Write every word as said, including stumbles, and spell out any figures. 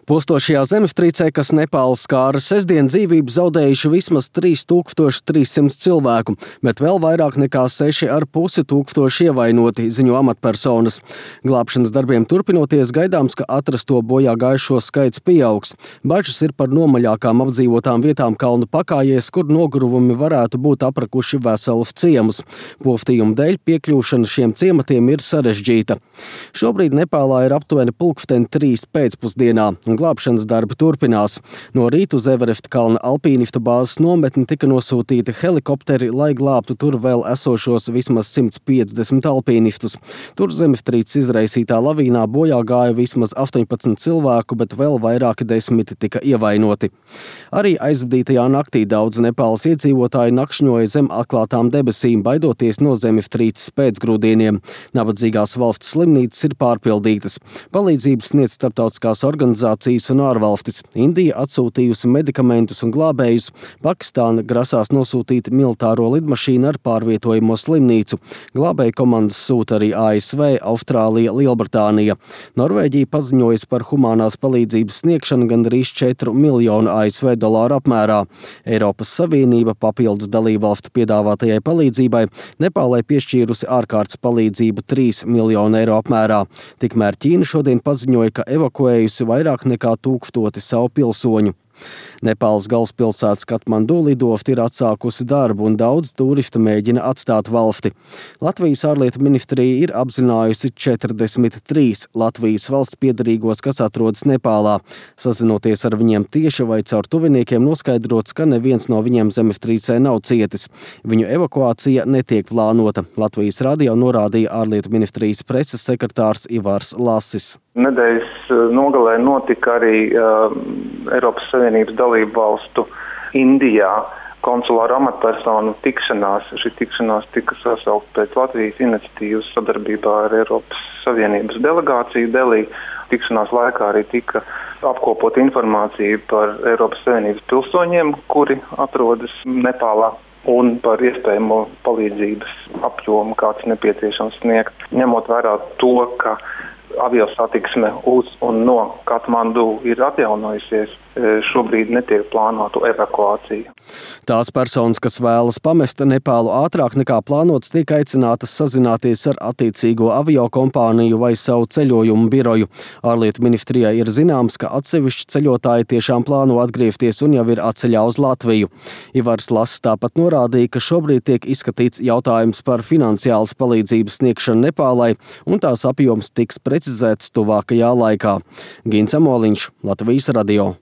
Postošajā zemestrīcē, kas Nepālu skāra, sestdien dzīvību zaudējuši vismaz trīs tūkstoši trīs simti cilvēku, bet vēl vairāk nekā seši ar pusi tūkstoši ievainoti, ziņo amatpersonas. Glābšanas darbiem turpinoties, gaidāms, ka atrasto bojā gājušo skaits pieaugs. Bažas ir par nomaļākām apdzīvotām vietām kalnu pakājēs, kur nogruvumi varētu būt aprakuši veselus ciemus. Poftījuma dēļ piekļūšana šiem ciematiem ir sarežģīta. Šobrīd Nepālā ir aptuveni pulksteni trīs pēcpusdienā. Glābšanas darbi turpinās. No rīta uz Everesta kalna alpīnistu bāzes nometni tika nosūtīti helikopteri, lai glābtu tur vēl esošos vismaz simt piecdesmit alpīnistus. Tur zemestrīces izraisītā lavīnā bojā gāja vismaz astoņpadsmit cilvēku, bet vēl vairāki desmiti tika ievainoti. Arī aizvadītajā naktī daudz Nepāles iedzīvotāji nakšņoja zem atklātām debesīm, baidoties no zemestrīces pēcgrūdieniem. Nabadzīgās valsts slimnīcas ir pārpildītas. Palīdzības sniedz starptautiskās organizācijas un ārvalstis. Indija atsūtījusi medikamentus un glābējus. Pakistāna grasās nosūtīt militāro lidmašīnu ar pārvietojamo slimnīcu. Glābēju komandas sūta arī A S V, Austrālija, Lielbritānija. Norvēģija paziņojusi par humānās palīdzības sniegšanu gandrīz četru miljonu A S V dolāru apmērā. Eiropas Savienība papildus dalībvalstu piedāvātajai palīdzībai Nepālai piešķīrusi ārkārtas palīdzību trīs miljonu eiro apmērā. Tikmēr Ķīna šodien paziņoja, ka evakuējusi vairāk nekā tūkstoti savu pilsoņu. Nepāles galvaspilsētas Katmandu lidostā ir atsākusi darbu un daudz turistu mēģina atstāt valsti. Latvijas ārlietu ministrija ir apzinājusi četrdesmit trīs Latvijas valsts piederīgos, kas atrodas Nepālā. Sazinoties ar viņiem tieši vai caur tuviniekiem, noskaidrots, ka neviens no viņiem zemestrīcē nav cietis. Viņu evakuācija netiek plānota. Latvijas radio norādīja ārlietu ministrijas preses sekretārs Ivars Lasis. Nedēļas nogalē notika arī uh, Eiropas Savienības dalību valstu Indijā konsulāru amatpersonu tikšanās. Šī tikšanās tika sasaukt pēc Latvijas iniciatīvas sadarbībā ar Eiropas Savienības delegāciju Delī. Tikšanās laikā arī tika apkopot informāciju par Eiropas Savienības pilsoņiem, kuri atrodas Nepālā, un par iespējamo palīdzības apjomu, kāds nepieciešams sniegt. Ņemot vērā to, ka aviosatiksme uz un no Katmandu ir atjaunojusies, šobrīd netiek plānotu evakuāciju. Tās personas, kas vēlas pamest Nepālu ātrāk nekā plānots, tiek aicinātas sazināties ar attiecīgo aviokompāniju vai savu ceļojumu biroju. Ārlietu ministrijai ir zināms, ka atsevišķi ceļotāji tiešām plāno atgriezties un jau ir atceļā uz Latviju. Ivars Lass tāpat norādīja, ka šobrīd tiek izskatīts jautājums par finansiālas palīdzības sniegšanu Nepālai, un tās apjoms tiks precizēts tuvākajā laikā. Gins Amoliņš, Latvijas radio.